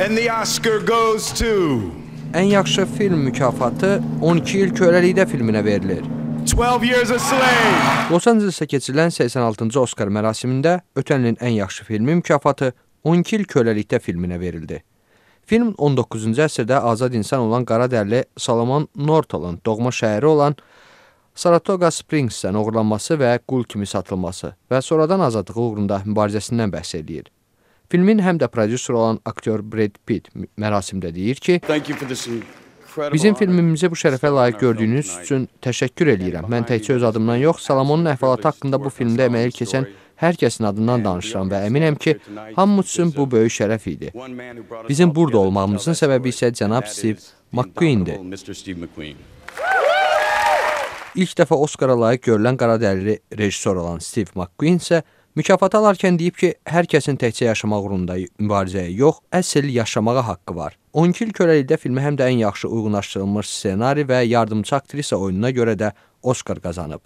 And the Oscar goes to... Ən yaxşı film mükafatı 12 il köləlikdə filminə verilir. 12 Years a Slave. Los Angeles'ta keçirilən 86-cı Oscar mərasimində ötən ilin ən yaxşı filmi mükafatı 12 il köləlikdə filminə verildi. Film 19-cu əsrdə azad insan olan qaradərli Solomon Northal'ın doğma şəhəri olan Saratoga Springs'dən oğurlanması və qul kimi satılması və sonradan azadlığı uğrunda mübarizəsindən bəhs edir. Filmin həm də prodüser olan aktyor Brad Pitt mərasimdə deyir ki, bizim filmimizi bu şərəfə layiq gördüyünüz üçün təşəkkür edirəm. Mən təkcə öz adımdan yox, Salomonun əhvalatı haqqında bu filmdə əməl keçən hər kəsin adından danışıram və əminəm ki, hamımız üçün bu böyük şərəf idi. Bizim burada olmağımızın səbəbi isə cənab Steve McQueen'dir. İlk dəfə Oscara layiq görülən qaradərili rejissor olan Steve McQueen isə mükafatı alarkən deyib ki, hər kəsin təkcə yaşamaq uğrunda mübarizəyə yox, əsl yaşamağa haqqı var. 12 il köləlikdə filmi həm də ən yaxşı uyğunlaşdırılmış ssenari və yardımçı aktrisa oyununa görə də Oscar qazanıb.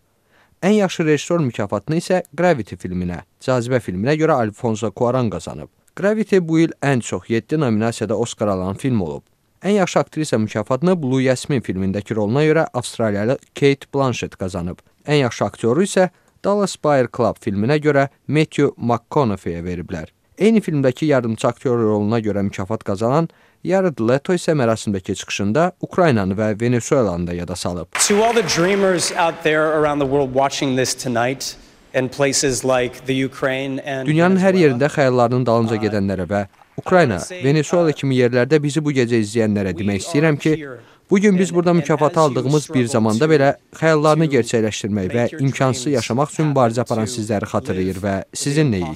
Ən yaxşı rejissor mükafatını isə Gravity filminə, Cazibə filminə görə Alfonso Cuarón qazanıb. Gravity bu il ən çox 7 nominasiyada Oscar alan film olub. Ən yaxşı aktrisa mükafatını Blue Jasmine filmindəki roluna görə Avstraliyalı Kate Blanchett qazanıb. Ən yaxşı aktyoru isə Dallas Buyers Club filminə görə Matthew McConaughey'ə veriblər. Eyni filmdəki yardımçı aktyor roluna görə mükafat qazanan Jared Leto isə mərasimdəki çıxışında Ukraynanı və Venezuelanı da yada salıb. To all the dreamers out there around the world watching this tonight in places like the Ukraine and Dünyanın hər yerində xəyallarının dalınca gedənlərə və Ukrayna, Venezuela kimi yerlərdə bizi bu gecə izləyənlərə demək istəyirəm ki, bugün biz burada mükafatı aldığımız bir zamanda belə xəyallarını gerçəkləşdirmək və imkansız yaşamaq üçün mübarizə aparan sizləri xatırlayır və sizinləyik.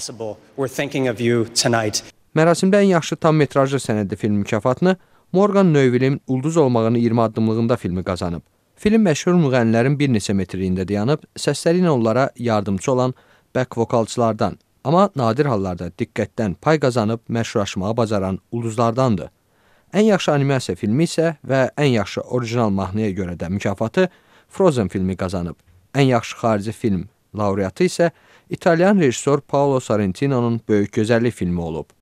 Mərasimdə ən yaxşı tam metrajlı sənədli film mükafatını Morgan Neuville'in Ulduz olmağını 20 addımlığında filmi qazanıb. Film məşhur müğənnilərin bir neçə metrliyində dayanıb, səsləri ilə onlara yardımcı olan back vokalçılardan, amma nadir hallarda diqqətdən pay qazanıb məşhurlaşmağı bacaran ulduzlardandır. Ən yaxşı animasiya filmi isə və ən yaxşı orijinal mahnıya görə də mükafatı Frozen filmi qazanıb. Ən yaxşı xarici film laureatı isə İtalyan rejissor Paolo Sorrentino'nun Böyük Gözəllik filmi olub.